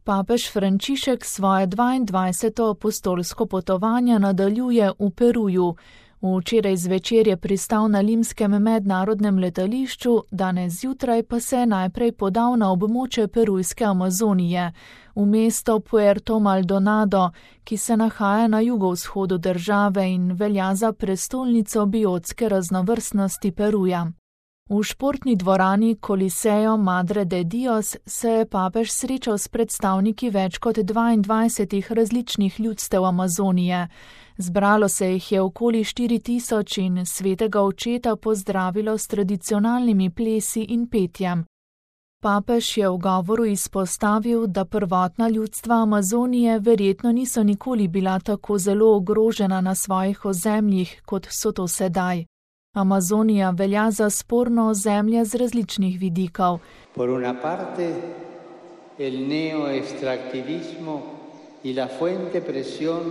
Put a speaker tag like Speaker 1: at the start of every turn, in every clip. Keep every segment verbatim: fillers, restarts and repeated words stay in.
Speaker 1: Papež Frančišek svoje dvaindvajseto apostolsko potovanje nadaljuje v Peruju. Včeraj zvečer je pristal na limskem mednarodnem letališču, danes zjutraj pa se je najprej podal na območje perujske Amazonije, v mesto Puerto Maldonado, ki se nahaja na jugovzhodu države in velja za prestolnico biotske raznovrstnosti Peruja. V športni dvorani Coliseo Madre de Dios se je papež srečal s predstavniki več kot dvaindvajsetih različnih ljudstev Amazonije. Zbralo se jih je okoli štiri tisoč in svetega očeta pozdravilo s tradicionalnimi plesi in petjem. Papež je v govoru izpostavil, da prvotna ljudstva Amazonije verjetno niso nikoli bila tako zelo ogrožena na svojih ozemljih, kot so to sedaj. Amazonija velja za sporno ozemlje z različnih vidikov.
Speaker 2: Por una parte, el neoextractivismo y la fuente presión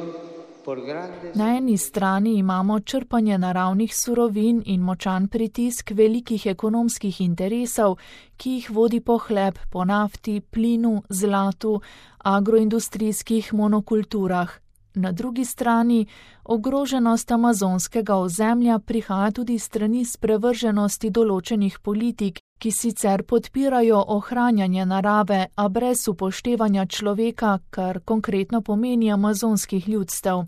Speaker 2: por grandes...
Speaker 1: Na eni strani imamo črpanje naravnih surovin in močan pritisk velikih ekonomskih interesov, ki jih vodi pohleb po nafti, plinu, zlatu, agroindustrijskih monokulturah. Na drugi strani, ogroženost amazonskega ozemlja prihaja tudi strani sprevrženosti določenih politik, ki sicer podpirajo ohranjanje narave, a brez upoštevanja človeka, kar konkretno pomeni amazonskih ljudstev.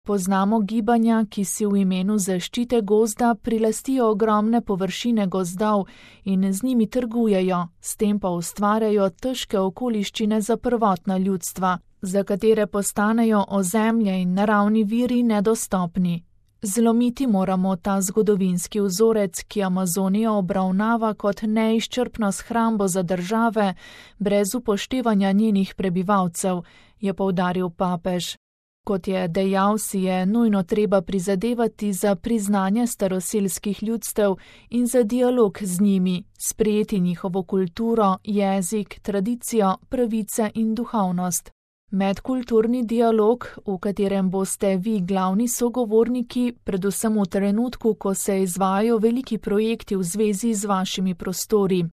Speaker 1: Poznamo gibanja, ki si v imenu zaščite gozda prilastijo ogromne površine gozdov in z njimi trgujejo, s tem pa ustvarjajo težke okoliščine za prvotna ljudstva, za katere postanejo ozemlje in naravni viri nedostopni. Zlomiti moramo ta zgodovinski vzorec, ki Amazonijo obravnava kot neizčrpno shrambo za države, brez upoštevanja njenih prebivalcev, je poudaril papež. Kot je dejal, si je nujno treba prizadevati za priznanje staroselskih ljudstev in za dialog z njimi, sprejeti njihovo kulturo, jezik, tradicijo, pravice in duhovnost. Medkulturni dialog, v katerem boste vi glavni sogovorniki, predvsem v trenutku, ko se izvajajo veliki projekti v zvezi z vašimi prostori.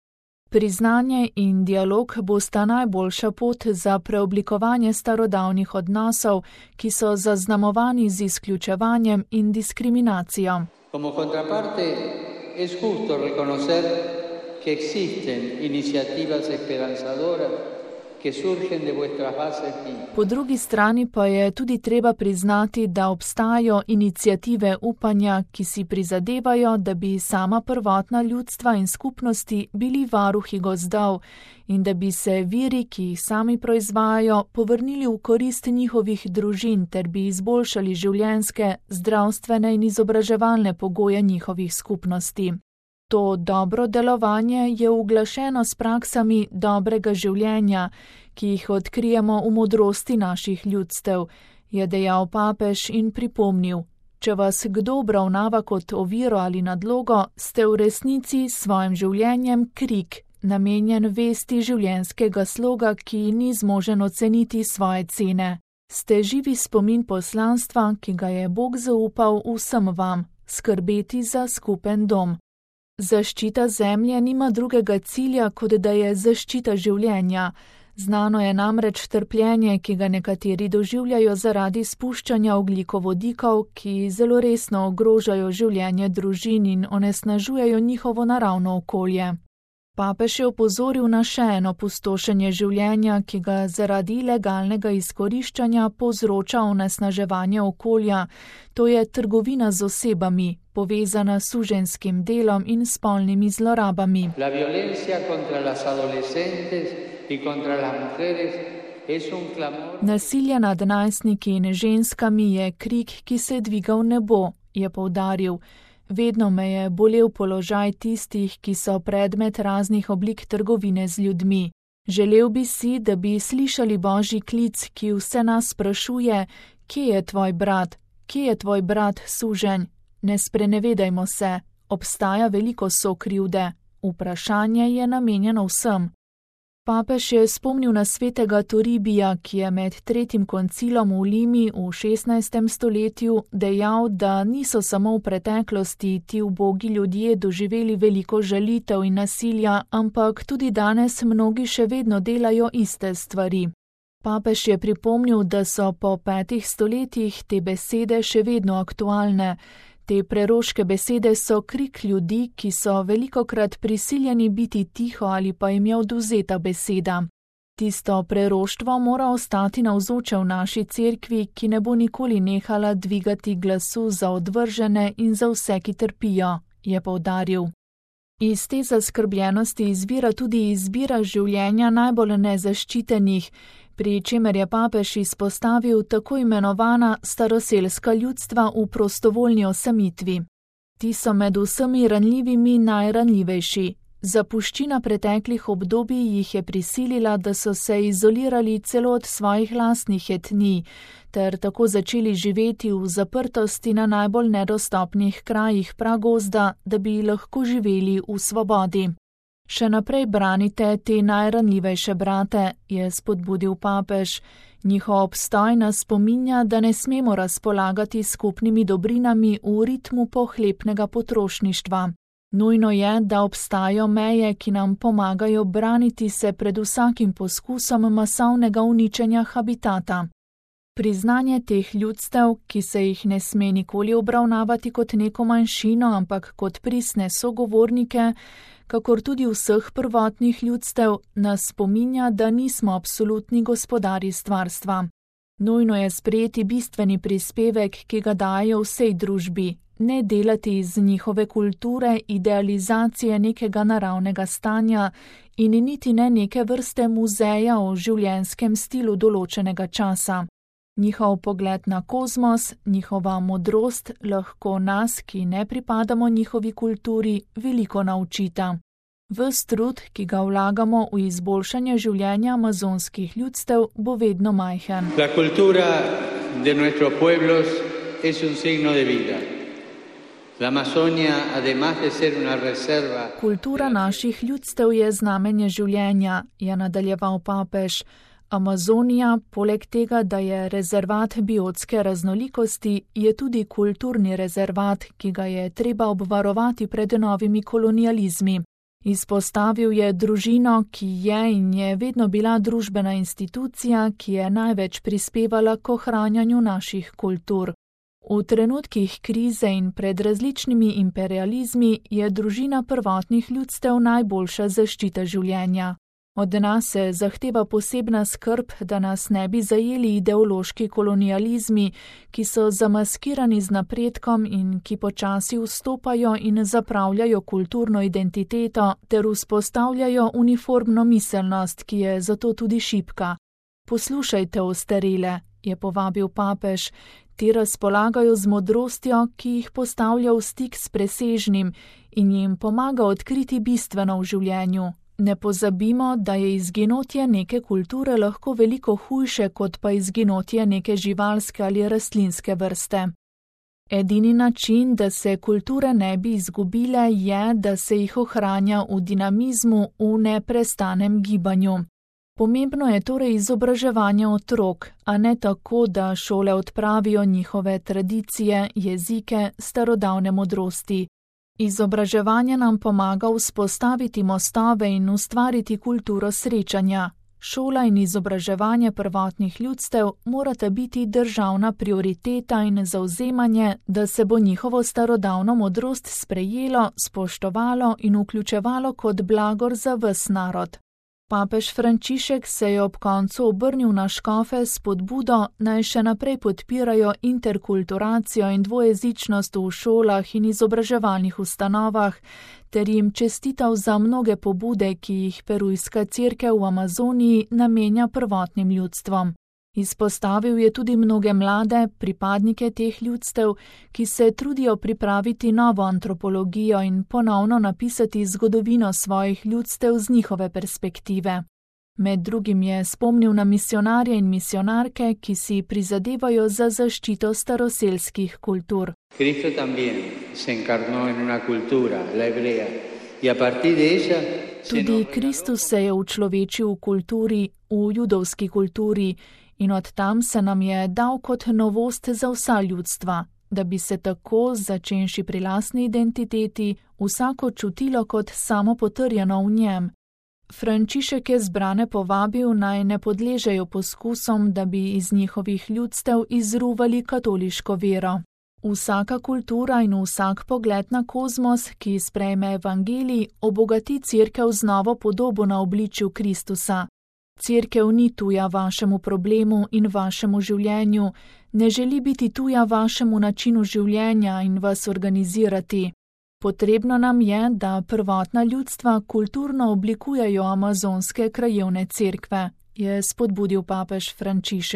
Speaker 1: Priznanje in dialog bosta najboljša pot za preoblikovanje starodavnih odnosov, ki so zaznamovani z izključevanjem in diskriminacijo.
Speaker 2: Como contraparte, es justo reconocer que existen iniciativas esperanzadoras que surgen de vuestras bases.
Speaker 1: Po drugi strani pa je tudi treba priznati, da obstajajo iniciative upanja, ki si prizadevajo, da bi sama prvotna ljudstva in skupnosti bili varuhi gozdov in da bi se viri, ki jih sami proizvajajo, povrnili v korist njihovih družin ter bi izboljšali življenjske, zdravstvene in izobraževalne pogoje njihovih skupnosti. To dobro delovanje je uglašeno s praksami dobrega življenja, ki jih odkrijemo v modrosti naših ljudstev, je dejal papež in pripomnil. Če vas kdo obravnava kot oviro ali nadlogo, ste v resnici s svojim življenjem krik, namenjen vesti življenjskega sloga, ki ni zmožen oceniti svoje cene. Ste živi spomin poslanstva, ki ga je Bog zaupal vsem vam, skrbeti za skupen dom. Zaščita zemlje nima drugega cilja, kot da je zaščita življenja. Znano je namreč trpljenje, ki ga nekateri doživljajo zaradi spuščanja ogljikovodikov, ki zelo resno ogrožajo življenje družin in onesnažujejo njihovo naravno okolje. Papež je opozoril na še eno pustošenje življenja, ki ga zaradi ilegalnega izkoriščanja povzroča onesnaževanje okolja, to je trgovina z osebami, povezana s suženskim delom in spolnimi zlorabami.
Speaker 2: La violencia contra las adolescentes y contra las mujeres es un clamor.
Speaker 1: Nasilje nad najstniki in ženskami je krik, ki se dviga v nebo, je poudaril. Vedno me je bolel položaj tistih, ki so predmet raznih oblik trgovine z ljudmi. Želel bi si, da bi slišali Božji klic, ki vse nas sprašuje, kje je tvoj brat, kje je tvoj brat suženj. Ne sprenevedajmo se, obstaja veliko sokrivde. Vprašanje je namenjeno vsem. Papež je spomnil na svetega Toribija, ki je med tretjim koncilom v Limi v šestnajstem stoletju dejal, da niso samo v preteklosti ti ubogi ljudje doživeli veliko žalitev in nasilja, ampak tudi danes mnogi še vedno delajo iste stvari. Papež je pripomnil, da so po petih stoletjih te besede še vedno aktualne. Te preroške besede so krik ljudi, ki so velikokrat prisiljeni biti tiho ali pa jim je odvzeta beseda. Tisto preroštvo mora ostati navzoče v naši cerkvi, ki ne bo nikoli nehala dvigati glasu za odvržene in za vse, ki trpijo, je poudaril. Iz te zaskrbljenosti izvira tudi izbira življenja najbolj nezaščitenih, pri čemer je papež izpostavil tako imenovana staroselska ljudstva v prostovoljni osamitvi. Ti so med vsemi ranljivimi najranljivejši. Zapuščina preteklih obdobij jih je prisilila, da so se izolirali celo od svojih lastnih etnij, ter tako začeli živeti v zaprtosti na najbolj nedostopnih krajih pragozda, da bi lahko živeli v svobodi. Še naprej branite te najranljivejše brate, je spodbudil papež. Njihov obstoj nas spominja, da ne smemo razpolagati skupnimi dobrinami v ritmu pohlepnega potrošništva. Nujno je, da obstajajo meje, ki nam pomagajo braniti se pred vsakim poskusom masovnega uničenja habitata. Priznanje teh ljudstev, ki se jih ne sme nikoli obravnavati kot neko manjšino, ampak kot pristne sogovornike, kakor tudi vseh prvotnih ljudstev, nas spominja, da nismo absolutni gospodarji stvarstva. Nujno je sprejeti bistveni prispevek, ki ga dajo vsej družbi, ne delati iz njihove kulture idealizacije nekega naravnega stanja in niti ne neke vrste muzeja o življenjskem stilu določenega časa. Njihov pogled na kozmos, njihova modrost lahko nas, ki ne pripadamo njihovi kulturi, veliko naučita. Ves trud, ki ga vlagamo v izboljšanje življenja amazonskih ljudstev, bo vedno majhen.
Speaker 2: La cultura de nuestros pueblos es un signo de vida. La Amazonia, además de ser una reserva...
Speaker 1: Kultura naših ljudstev je znamenje življenja, je nadaljeval papež. Amazonija, poleg tega, da je rezervat biotske raznolikosti, je tudi kulturni rezervat, ki ga je treba obvarovati pred novimi kolonializmi. Izpostavil je družino, ki je in je vedno bila družbena institucija, ki je največ prispevala k ohranjanju naših kultur. V trenutkih krize in pred različnimi imperializmi je družina prvotnih ljudstev najboljša zaščita življenja. Od nas se zahteva posebna skrb, da nas ne bi zajeli ideološki kolonializmi, ki so zamaskirani z napredkom in ki počasi vstopajo in zapravljajo kulturno identiteto ter vzpostavljajo uniformno miselnost, ki je zato tudi šibka. Poslušajte ostarele, je povabil papež. Ti razpolagajo z modrostjo, ki jih postavlja v stik s presežnim in jim pomaga odkriti bistveno v življenju. Ne pozabimo, da je izginotje neke kulture lahko veliko hujše, kot pa izginotje neke živalske ali rastlinske vrste. Edini način, da se kulture ne bi izgubile, je, da se jih ohranja v dinamizmu, v neprestanem gibanju. Pomembno je torej izobraževanje otrok, a ne tako, da šole odpravijo njihove tradicije, jezike, starodavne modrosti. Izobraževanje nam pomaga vzpostaviti mostove in ustvariti kulturo srečanja. Šola in izobraževanje prvotnih ljudstev morata biti državna prioriteta in zavzemanje, da se bo njihovo starodavno modrost sprejelo, spoštovalo in vključevalo kot blagor za ves narod. Papež Frančišek se je ob koncu obrnil na škofe s spodbudo, naj še naprej podpirajo interkulturacijo in dvojezičnost v šolah in izobraževalnih ustanovah, ter jim čestital za mnoge pobude, ki jih perujska cerkev v Amazoniji namenja prvotnim ljudstvom. Izpostavil je tudi mnoge mlade, pripadnike teh ljudstev, ki se trudijo pripraviti novo antropologijo in ponovno napisati zgodovino svojih ljudstev z njihove perspektive. Med drugim je spomnil na misionarje in misionarke, ki si prizadevajo za zaščito staroselskih kultur.
Speaker 2: Cristo también se encarnó en una cultura, la hebrea, y a partir de ella...
Speaker 1: Tudi Kristus se je učlovečil v kulturi, v judovski kulturi, in od tam se nam je dal kot novost za vsa ljudstva, da bi se tako, začenši pri lastni identiteti, vsako čutilo kot samo potrjeno v njem. Frančišek je zbrane povabil, naj ne podležejo poskusom, da bi iz njihovih ljudstev izruvali katoliško vero. Vsaka kultura in vsak pogled na kozmos, ki sprejme evangelij, obogati Cerkev z novo podobo na obličju Kristusa. Cerkev ni tuja vašemu problemu in vašemu življenju, ne želi biti tuja vašemu načinu življenja in vas organizirati. Potrebno nam je, da prvotna ljudstva kulturno oblikujejo amazonske krajevne cerkve, je spodbudil papež Frančišek.